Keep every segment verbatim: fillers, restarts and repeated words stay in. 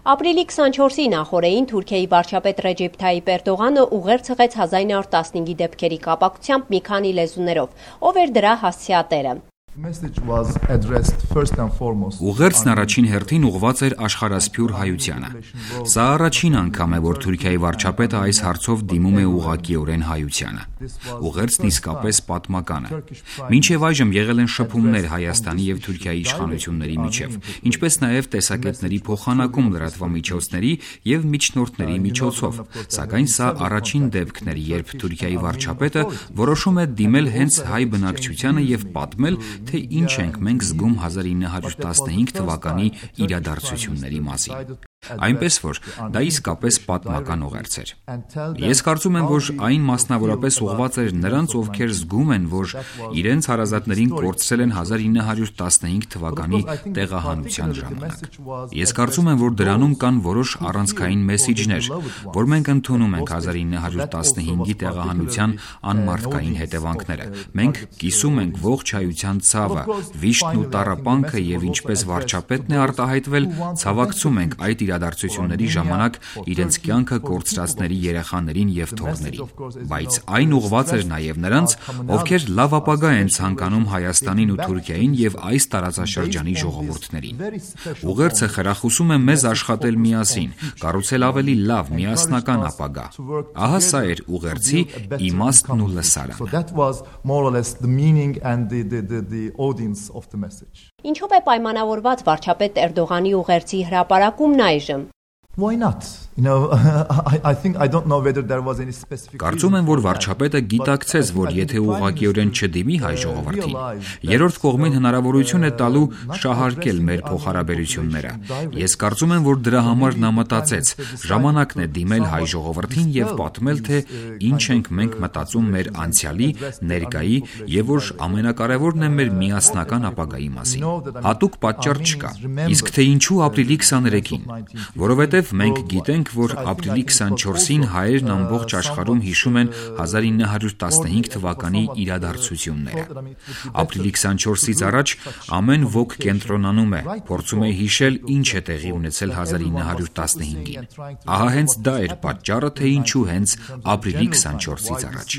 Ապրիլի քսանչորսի նախօրեին Թուրքիայի վարչապետ Ռեջեփ Թայիփ Էրդողանը ուղերձ հղեց հազար ինը հարյուր տասնհինգի դեպքերի կապակցությամբ մի քանի լեզուներով, ով էր դրա հասցեատերը։ Ուղերձն առաջին հերթին ուղղված էր աշխարհասփյուր հայությանը։ Սա առաջին անգամ է, որ Թուրքիայի վարչապետը այս հարցով դիմում է ուղղակիորեն հայությանը։ Ուղերձն իսկապես պատմական է։ Մինչև այժմ եղել են շփումներ Հայաստանի եւ Թուրքիայի իշխանությունների միջև, ինչպես նաեւ տեսակետների փոխանակում լրատվամիջոցների եւ միջնորդների միջոցով, սակայն սա առաջին դեպքն էր, երբ Թուրքիայի վարչապետը որոշում է դիմել հենց հայ բնակչությանը եւ պատմել, թե ինչ ենք մենք զգում հազար ինը հարյուր տասնհինգ թվականի իրադարձությունների մասին։ Այնպես որ դա իսկապես պատմական ուղերձ էր։ Ես կարծում եմ, որ այն մասնավորապես ուղղված էր նրանց, ովքեր զգում են, որ իրենց հարազատներին կորցրել են հազար ինը հարյուր տասնհինգ թվականի տեղահանության ժամանակ։ Ես կարծում եմ, որ դրանում կան որոշ առանցքային մեսիջներ, որ մենք ընդունում ենք հազար ինը հարյուր տասնհինգի տեղահանության անմարդկային հետևանքները։ Մենք կիսում ենք ողջ հայության ցավը, վիշտն ու տառապանքը եւ ինչպես վարչապետն է արտահայտվել, ցավակցում ենք այդ իրադարձությունների ժամանակ իրենց կյանքը կորցրածների երեխաներին եւ թոռներին, բայց այն ուղղված էր նաեւ նրանց, ովքեր լավ ապագա են ցանկանում Հայաստանին ու Թուրքիային եւ այս տարածաշրջանի ժողովուրդներին։ Ուղերձը խրախուսում է մեզ աշխատել միասին, կառուցել ավելի լավ միասնական ապագա։ Ահա սա էր ուղերձի իմաստն ու լսարանը։ Ինչով է պայմանավորված վարչապետ Էրդողանի ուղերձի հրապարակումն այժմ։ Why not? You know, I, I think I don't know whether there was any specific. Կարծում եմ, որ վարչապետը գիտակցեց, որ եթե ուղղակիորեն չդիմի հայ ժողովրդին, երրորդ կողմին հնարավորություն է տալու շահարկել մեր փոխհարաբերությունները։ Ես կարծում եմ, որ դրա համար նա մտածեց, ժամանակն է դիմել հայ ժողովրդին եւ պատմել, թե ինչ ենք մենք մտածում մեր անցյալի, ներկայի եւ որ ամենակարևորն է մեր միասնական ապագայի մասին։ Հատուկ պատճառ չկա։ Իսկ թե ինչու ապրիլի քսաներեքին, որովհետեւ մենք գիտենք, որ ապրիլի քսանչորսին հայերն ամբողջ աշխարհում հիշում են հազար ինը հարյուր տասնհինգ թվականի իրադարձությունները։ Ապրիլի քսանչորսից առաջ ամեն ոք կենտրոնանում է, փորձում է հիշել ինչ է տեղի ունեցել հազար ինը հարյուր տասնհինգին։ Ահա հենց դա էր պատճառը, թե ինչու հենց ապրիլի քսանչորսից առաջ։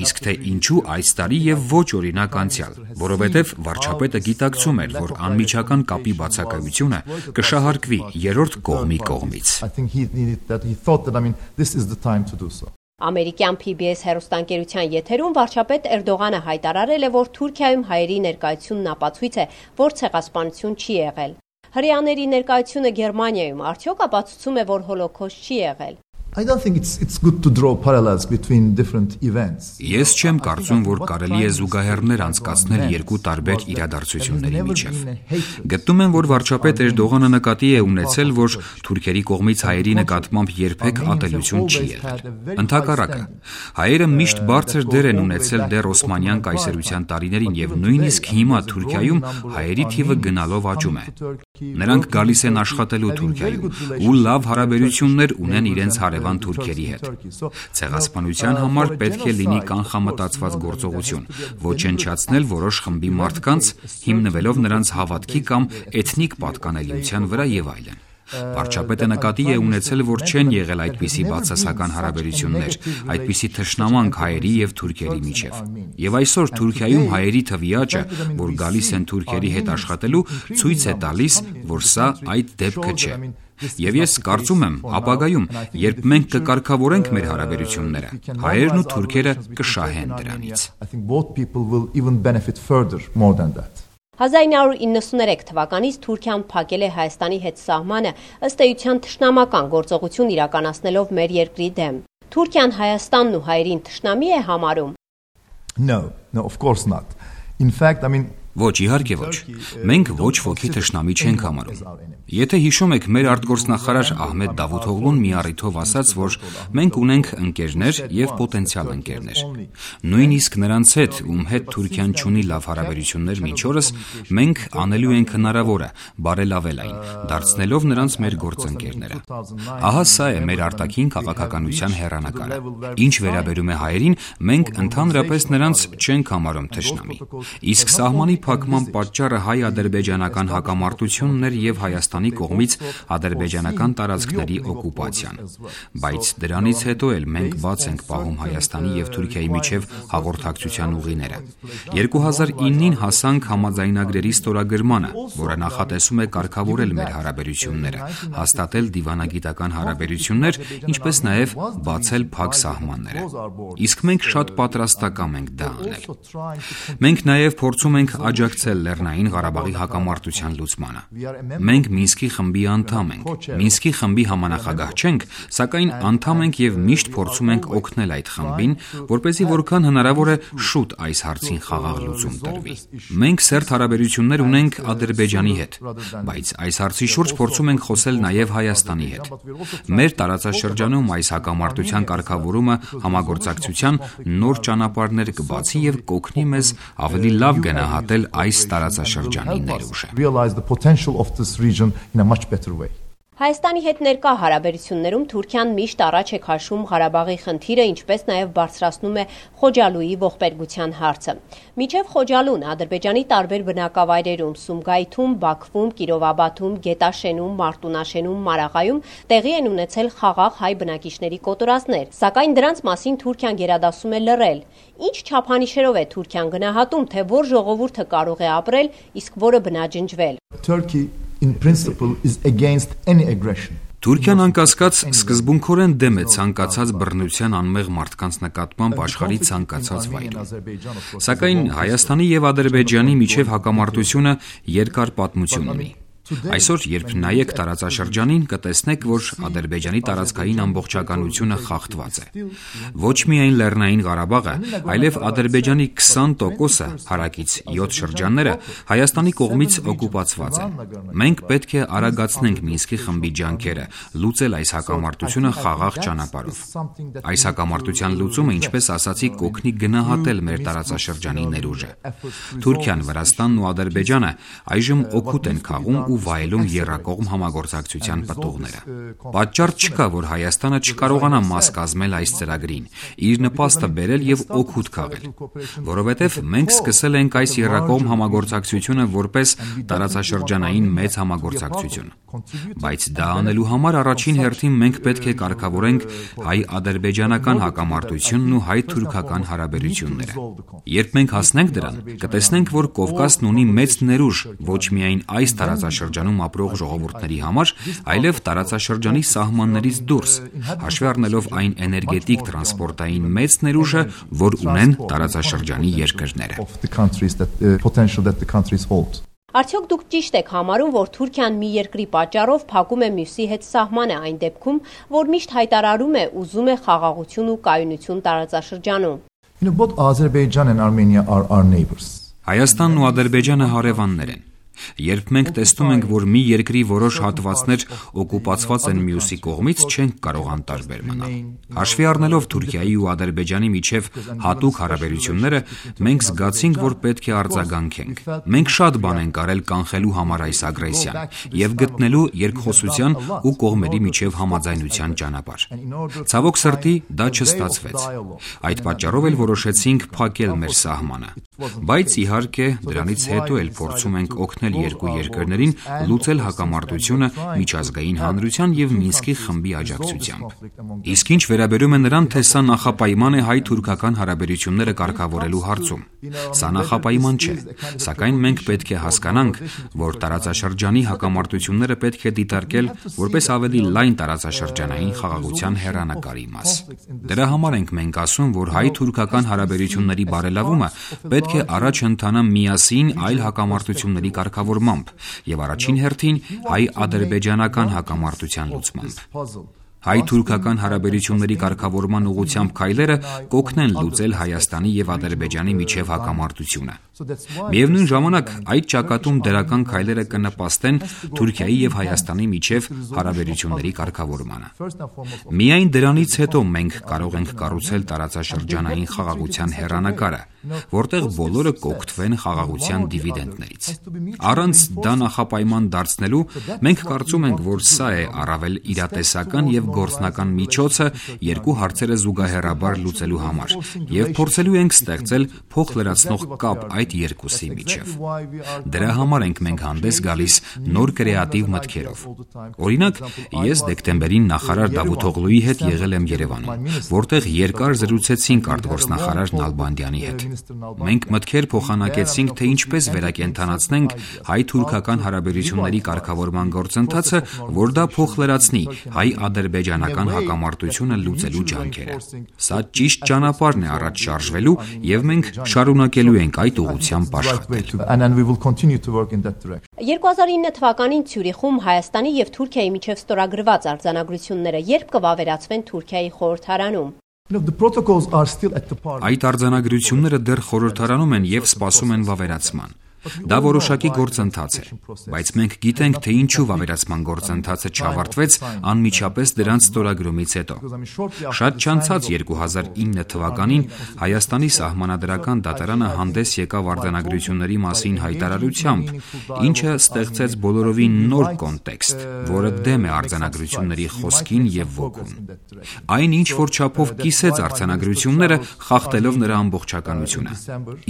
Իսկ թե ինչու այս տարի եւ ոչ օրինակ անցյալ, որովհետեւ վարչապետը գիտակցում էր, որ անմիջական կապի բացակայությունը կշահարկվի երրորդ կողմի կողմից։ I think he needed that he thought that I mean this is the time to do so. Ամերիկյան P B S հեռուստաընկերության եթերում վարչապետ Էրդողանը հայտարարել է, որ Թուրքիայում հայերի ներկայությունն ապացույց է, որ ցեղասպանություն չի եղել։ Հրեաների ներկայությունը Գերմանիայում արդյոք ապացուցում է, որ հոլոկոստ չի եղել։ I don't think it's it's good to draw parallels between different events. Ես չեմ կարծում, որ կարելի է զուգահեռներ անցկացնել երկու տարբեր իրադարձությունների միջև։ Գտնում եմ, որ վարչապետ Էրդողանը նկատի է ունեցել, որ թուրքերի կողմից հայերի նկատմամբ երբեք ատելություն չի եղել։ Ընդհակառակը, հայերը միշտ բարձր դեր են ունեցել դեռ Օսմանյան կայսրության տարիներին եւ նույնիսկ հիմա Թուրքիայում հայերի թիվը գնալով աճում է։ Նրանք գալիս են աշխատելու Թուրքիայում ու լավ հարաբերություններ ունեն իրենց հարևան թուրքերի հետ։ Ցեղասպանության համար պետք է լինի կանխամտածված գործողություն, ոչնչացնել որոշ խմբի մարդկանց, հիմնվելով նրանց հավատքի կամ էթնիկ պատկանելիության վրա եւ այլն։ Վարչապետը նկատի է ունեցել, որ չեն եղել այդպիսի բացասական հարաբերություններ, այդպիսի թշնամանք հայերի եւ թուրքերի միջև։ Եվ այսօր Թուրքիայում հայերի թվի աճը, որ գալիս են թուրքերի հետ աշխատելու, ցույց է տալիս, որ սա այդ դեպքը չէ։ Եվ ես կարծում եմ, ապագայում, երբ մենք կկարգավորենք մեր հարաբերությունները, հայերն ու թուրքերը կշահեն դրանից։ հազար ինը հարյուր իննսուներեք թվականից Թուրքիան փակել է Հայաստանի հետ սահմանը ըստ էության թշնամական գործողություն իրականացնելով մեր երկրի դեմ։ Թուրքիան Հայաստանն ու հայերին թշնամի է համարում։ No, no, of course not. In fact, I mean Ոչ, իհարկե ոչ։ Մենք ոչ ոքի թշնամի չենք համարում։ Եթե հիշում եք, մեր արտգործնախարար Ահմեդ Դավութօղլուն մի առիթով ասաց, որ մենք ունենք ընկերներ եւ պոտենցիալ ընկերներ։ Նույնիսկ նրանց հետ, ում հետ Թուրքիան չունի լավ հարաբերություններ մինչ օրս, մենք անելու ենք հնարավորը բարելավել այն, դարձնելով նրանց մեր գործընկերները։ Ահա սա է մեր արտաքին քաղաքականության հեռանկարը։ Ինչ վերաբերում է հայերին, մենք ընդհանրապես նրանց չենք համարում թշնամի։ Իսկ սահմանի փակման պատճառը հայ-ադրբեջանական հակամարտությունն էր եւ Հայաստանի կողմից ադրբեջանական տարածքների օկուպացիան։ Բայց դրանից հետո էլ մենք բաց ենք պահում Հայաստանի եւ Թուրքիայի միջև հաղորդակցության ուղիները։ երկու հազար իննին հասանք համաձայնագրերի ստորագրմանը, որը նախատեսում է կարգավորել մեր հարաբերությունները, հաստատել դիվանագիտական հարաբերություններ, ինչպես նաեւ բացել փակ սահմանները։ Իսկ մենք շատ պատրաստակամ ենք դա անել։ Մենք նաեւ փորձում ենք աջակցել Լեռնային Ղարաբաղի հակամարտության լուծմանը։ Մենք Մինսկի խմբի անդամ ենք։ Մինսկի խմբի համանախագահ չենք, սակայն անդամ ենք եւ միշտ փորձում ենք օգնել այդ խմբին, որպեսզի որքան հնարավոր է շուտ այս հարցին խաղաղ լուծում տրվի։ Մենք սերտ հարաբերություններ ունենք Ադրբեջանի հետ, բայց այս հարցի շուրջ փորձում ենք խոսել նաեւ Հայաստանի հետ։ Մեր տարածաշրջանում այս հակամարտության կարգավորումը համագործակցության նոր ճանապարհներ կբացի եւ կօգնի մեզ ավելի լավ գնահատել այս տարածաշրջանի ներուժը։ Հայաստանի հետ ներկա հարաբերություններում Թուրքիան միշտ առաջ է քաշում Ղարաբաղի խնդիրը, ինչպես նաև բարձրացնում է Խոջալույի ողբերգության հարցը։ Մինչև Խոջալուն Ադրբեջանի տարբեր բնակավայրերում՝ Սումգայիթում, Բաքվում, Կիրովաբադում, Գետաշենում, Մարտունաշենում, Մարաղայում տեղի են ունեցել խաղաղ հայ բնակիչների կոտորածներ, սակայն դրանց մասին Թուրքիան գերադասում է լռել։ Ինչ չափանիշերով է Թուրքիան գնահատում, թե որ ժողովուրդը կարող է ապրել, իսկ որը բնաջնջվել։ In principle is against any aggression. Թուրքիան անկասկած սկզբունքորեն դեմ է ցանկացած բռնության անմեղ մարդկանց նկատմամբ աշխարհի ցանկացած վայրում։ Սակայն Հայաստանի եւ Ադրբեջանի միջև հակամարտությունը երկար պատմություն ունի։ Այսօր, երբ նայեք տարածաշրջանին, կտեսնեք, որ Ադրբեջանի տարածքային ամբողջականությունը խախտված է։ Ոչ միայն Լեռնային Ղարաբաղը, այլև Ադրբեջանի քսան տոկոսը հարակից յոթ շրջանները Հայաստանի կողմից օկուպացված են։ Մենք պետք է արագացնենք Մինսկի խմբի ջանքերը, լուծել այս հակամարտությունը խաղաղ ճանապարհով։ Այս հակամարտության լուծումը, ինչպես ասացի, կօգնի գնահատել մեր տարածաշրջանի ներուժը։ Թուրքիան, Վրաստանն ու Ադրբեջանը այժմ օգուտ են քաղում ու վայելում եռակողմ համագործակցության պտուղները։ Պատճառ չկա, որ Հայաստանը չկարողանա մաս կազմել այս ծրագրին, իր նպաստը բերել եւ օգուտ քաղել, որովհետեւ մենք սկսել ենք այս եռակողմ համագործակցությունը որպես տարածաշրջանային մեծ համագործակցություն։ Բայց դա անելու համար առաջին հերթին մենք պետք է կարգավորենք հայ-ադրբեջանական հակամարտությունն ու հայ-թուրքական հարաբերությունները։ Երբ մենք հասնենք դրան, կտեսնենք, որ Կովկասն ունի մեծ ներուժ ոչ միայն այս տարածաշրջանում ապրող ժողովուրդների համար, այլև տարածաշրջանի սահմաններից դուրս, հաշվի առնելով այն էներգետիկ տրանսպորտային մեծ ներուժը, որ ունեն տարածաշրջանի երկրները։ Արդյոք դուք ճիշտ եք համարում, որ Թուրքիան մի երկրի պատճառով փակում է մյուսի հետ սահմանը այն դեպքում, որ միշտ հայտարարում է ուզում է խաղաղություն ու կայունություն տարածաշրջանում։ You know, both Azerbaijan and Armenia are our neighbors. Հայաստանն ու Ադրբեջանը հարևաններ են։ Երբ մենք տեսնում ենք, որ մի երկրի որոշ հատվածներ օկուպացված են մյուսի կողմից, չենք կարող անտարբեր մնալ։ Հաշվի առնելով Թուրքիայի ու Ադրբեջանի միջև հատուկ հարաբերությունները, մենք զգացինք, որ պետք է արձագանքենք։ Մենք շատ բան ենք արել կանխելու համար այս ագրեսիան եւ գտնելու երկխոսության ու կողմերի միջև համաձայնության ճանապարհ։ Ցավոք սրտի, դա չստացվեց։ Այդ պատճառով էլ որոշեցինք փակել մեր սահմանը։ Բայց իհարկե, դրանից հետո էլ փորձում ենք օգնել երկու երկրներին լուծել հակամարտությունը միջազգային հանրության եւ Մինսկի խմբի աջակցությամբ։ Իսկ ինչ վերաբերում է նրան, թե սա նախապայման է հայ-թուրքական հարաբերությունները կարգավորելու հարցում, սա նախապայման չէ, սակայն մենք պետք է հասկանանք, որ տարածաշրջանի հակամարտությունները պետք է դիտարկել որպես ավելի լայն տարածաշրջանային խաղաղության հեռանկարի մաս։ Դրա համար ենք մենք ասում, որ հայ-թուրքական հարաբերությունների բարելավումը պետք է առաջ ընթանա միասին այլ հակամարտությունների կարգավորմամբ եւ առաջին հերթին հայ-ադրբեջանական հակամարտության լուծմամբ։ Հայ-թուրքական հարաբերությունների կարգավորման ուղղությամբ քայլերը կօգնեն լուծել Հայաստանի եւ Ադրբեջանի միջև հակամարտությունը։ Միևնույն ժամանակ այդ ճակատում դրական քայլերը կնպաստեն Թուրքիայի եւ Հայաստանի միջև հարաբերությունների կարգավորմանը։ Միայն դրանից հետո մենք կարող ենք կառուցել տարածաշրջանային խաղաղության հեռանկարը, որտեղ բոլորը կօգտվեն խաղաղության դիվիդենդներից։ Առանց դա նախապայման դարձնելու մենք կարծում ենք, որ սա է առավել իրատեսական եւ գործնական միջոցը երկու հարցերը զուգահեռաբար լուծելու համար եւ փորձելու ենք ստեղծել փոխլրացնող կապ այդ այդ երկուսի միջև։ Դրա համար ենք մենք հանդես գալիս նոր կրեատիվ մտքերով։ Օրինակ, ես դեկտեմբերին նախարար Դավութօղլուի հետ եղել եմ Երևանում, որտեղ երկար զրուցեցինք արտգործնախարար Նալբանդյանի հետ։ Մենք մտքեր փոխանակեցինք, թե ինչպես վերակենդանացնենք հայ-թուրքական հարաբերությունների կարգավորման գործընթացը, որ դա փոխլրացնի հայ-ադրբեջանական հակամարտությունը լուծելու ջանքերը։ Սա ճիշտ ճանապարհն է առաջ շարժվելու, եւ մենք շարունակելու ենք այդ ուղղությամբ աշխատել։ երկու հազար ինը թվականին Ցյուրիխում Հայաստանի եւ Թուրքիայի միջև ստորագրված արձանագրությունները երբ կվավերացվեն Թուրքիայի խորհրդարանում։ Այդ արձանագրությունները դեռ խորհրդարանում են եւ սպասում են վավերացման։ Դա որոշակի գործընթաց է, բայց մենք գիտենք, թե ինչու վավերացման գործընթացը չավարտվեց անմիջապես դրանց ստորագրումից հետո։ Շատ չանցած երկու հազար ինը թվականին Հայաստանի սահմանադրական դատարանը հանդես եկավ արձանագրությունների մասին հայտարարությամբ, ինչը ստեղծեց բոլորովին նոր կոնտեքստ, որը դեմ է արձանագրությունների խոսքին եւ ոգուն։ Այն ինչ որ չափով կիսեց արձանագրությունները, խախտելով նրա ամբողջականությունը։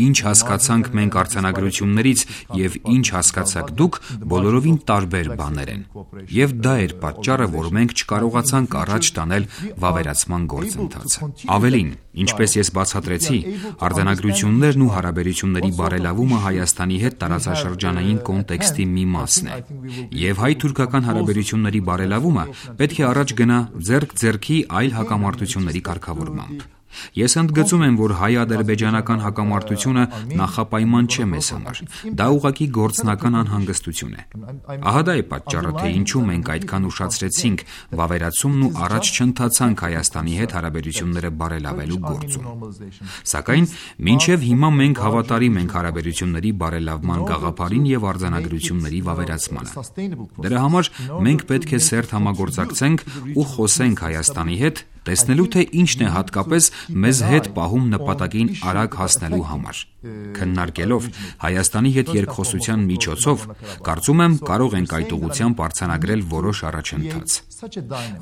Ինչ հասկացանք մենք արձանագրությունների եւ ինչ հասկացաք դուք, բոլորովին տարբեր բաներ են։ Եվ դա էր պատճառը, որ մենք չկարողացանք առաջ տանել վավերացման գործընթացը։ Ավելին, ինչպես ես բացատրեցի, արձանագրություններն ու հարաբերությունների բարելավումը Հայաստանի հետ տարածաշրջանային կոնտեքստի մի մասն է։ Եվ հայ-թուրքական հարաբերությունների բարելավումը պետք է առաջ գնա ձեռք-ձեռքի այլ հակամարտությունների կարգավորմամբ։ Ես ընդգծում եմ, որ հայ-ադրբեջանական հակամարտությունը նախապայման չէ մեզ համար։ Դա ուղղակի գործնական անհանգստություն է։ Ահա դա է պատճառը, թե ինչու մենք այդքան ուշացրեցինք վավերացումն ու առաջ չընթացանք Հայաստանի հետ հարաբերությունները բարելավելու գործում։ Սակայն մինչև հիմա մենք հավատարիմ ենք հարաբերությունների բարելավման գաղափարին եւ արձանագրությունների վավերացմանը։ Դրա համար մենք պետք է սերտ համագործակցենք ու խոսենք Հայաստանի հետ, տեսնելու թե ինչն է հատկապես մեզ հետ պահում նպատակին արագ հասնելու համար։ Քննարկելով Հայաստանի հետ երկխոսության միջոցով, կարծում եմ կարող ենք այդ ուղղությամբ արձանագրել որոշ առաջընթաց։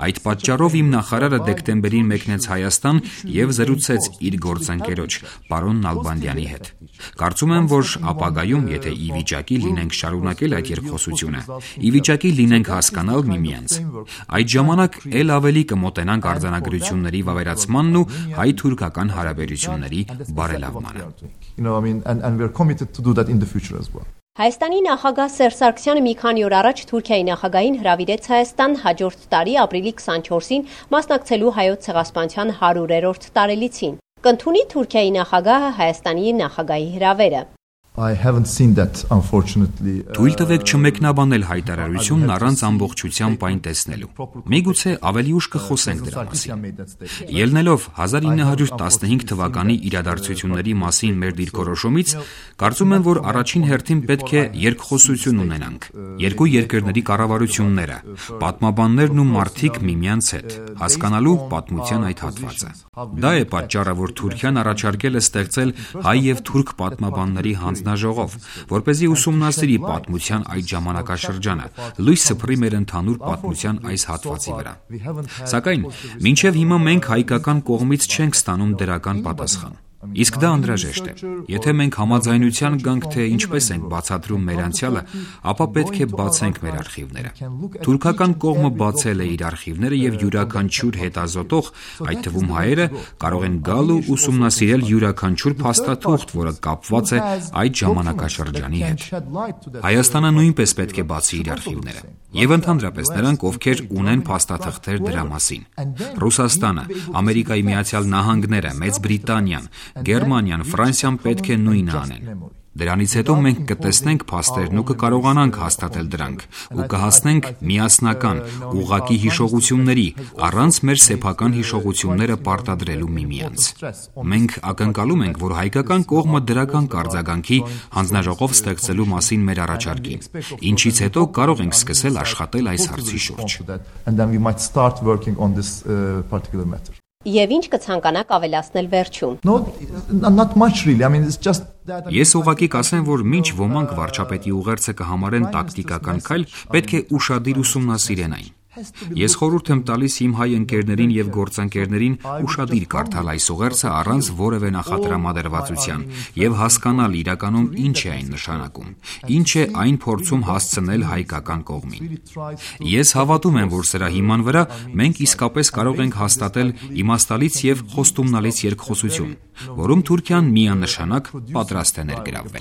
Այդ պատճառով իմ նախարարը դեկտեմբերին մեկնեց Հայաստան եւ զրուցեց իր գործընկերոջ պարոն Նալբանդյանի հետ։ Կարծում եմ, որ ապագայում, եթե ի վիճակի լինենք շարունակել այդ երկխոսությունը, ի վիճակի լինենք հասկանալ միմյանց, այդ ժամանակ ել ավելի կմոտենանք արձանագրությունների վավերացմանն ու հայ-թուրքական հարաբերությունների բարելավմանը։ Հայաստանի նախագահ Սերժ Սարգսյանը մի քանի օր առաջ Թուրքիայի նախագահին հրավիրեց Հայաստան հաջորդ տարի ապրիլի քսանչորսին մասնակցելու հայոց ցեղասպանության հարյուրերորդ տարելիցին։ Կընդունի Թուրքիայի նախագահը Հայաստանի նախագահի հրավերը։ I haven't seen that, unfortunately. Թույլ տվեք չմեկնաբանել հայտարարությունն առանց ամբողջությամբ այն տեսնելու։ Միգուցե ավելի ուշ կխոսենք դրա մասին։ Ելնելով հազար ինը հարյուր տասնհինգ թվականի իրադարձությունների մասին մեր դիրքորոշումից, կարծում եմ, որ առաջին հերթին պետք է երկխոսություն ունենանք։ Երկու երկրների կառավարությունները, պատմաբաններն ու մարդիկ միմյանց հետ, հասկանալու պատմության այդ հատվածը։ Դա է պատճառը, որ Թուրքիան առաջարկել է ստեղծել հայ եւ թուրք պատմաբանների հանձնաժողով, որպեսզի ուսումնասիրի պատմության այդ ժամանակաշրջանը, լույս սփռի մեր ընդհանուր պատմության այս հատվածի վրա։ Սակայն մինչև հիմա մենք հայկական կողմից չենք ստանում դրական պատասխան։ Իսկ դա անհրաժեշտ է։ Եթե մենք համաձայնության գանք, թե ինչպես ենք բացատրում մեր անցյալը, ապա պետք է բացենք մեր արխիվները։ Թուրքական կողմը բացել է իր արխիվները եւ յուրաքանչյուր հետազոտող, այդ թվում հայերը, կարող են գալ ու ուսումնասիրել յուրաքանչյուր փաստաթուղթ, որը կապված է այդ ժամանակաշրջանի հետ։ Հայաստանը նույնպես պետք է բացի իր արխիվները։ Եվ ընդհանրապես նրանք, ովքեր ունեն փաստաթղթեր դրա մասին։ Ռուսաստանը, Ամերիկայի Միացյալ Նահանգները, Մեծ Բրիտանիան, Գերմանիան, Ֆրանսիան պետք է նույնը անեն։ Դրանից հետո մենք կտեսնենք փաստերն ու կկարողանանք հաստատել դրանք ու կհասնենք միասնական, ուղղակի հիշողությունների, առանց մեր սեփական հիշողությունները պարտադրելու միմյանց։ Մենք ակնկալում ենք, որ հայկական կողմը դրական կարձագանքի հանձնաժողով ստեղծելու մասին մեր առաջարկի, ինչից հետո կարող ենք սկսել աշխատել այս հարցի շուրջ։ Եվ ինչ կցանկանաք ավելացնել վերջում։ No, not much really. I mean, it's just that Ես ուղղակի կասեմ, որ մինչ ոմանք վարչապետի ուղերձը կհամարեն տակտիկական քայլ, պետք է ուշադիր ուսումնասիրեն այն։ Ես խորհուրդ եմ տալիս իմ հայ ընկերներին եւ գործընկերներին ուշադիր կարդալ այս ուղերձը առանց որևէ նախատրամադրվածության եւ հասկանալ իրականում ինչ է այն նշանակում, ինչ է այն փորձում հասցնել հայկական կողմին։ Ես հավատում եմ, որ սրա հիման վրա մենք իսկապես կարող ենք հաստատել իմաստալից եւ խոստումնալից երկխոսություն, որում Թուրքիան միանշանակ պատրաստ է ներգրավվել։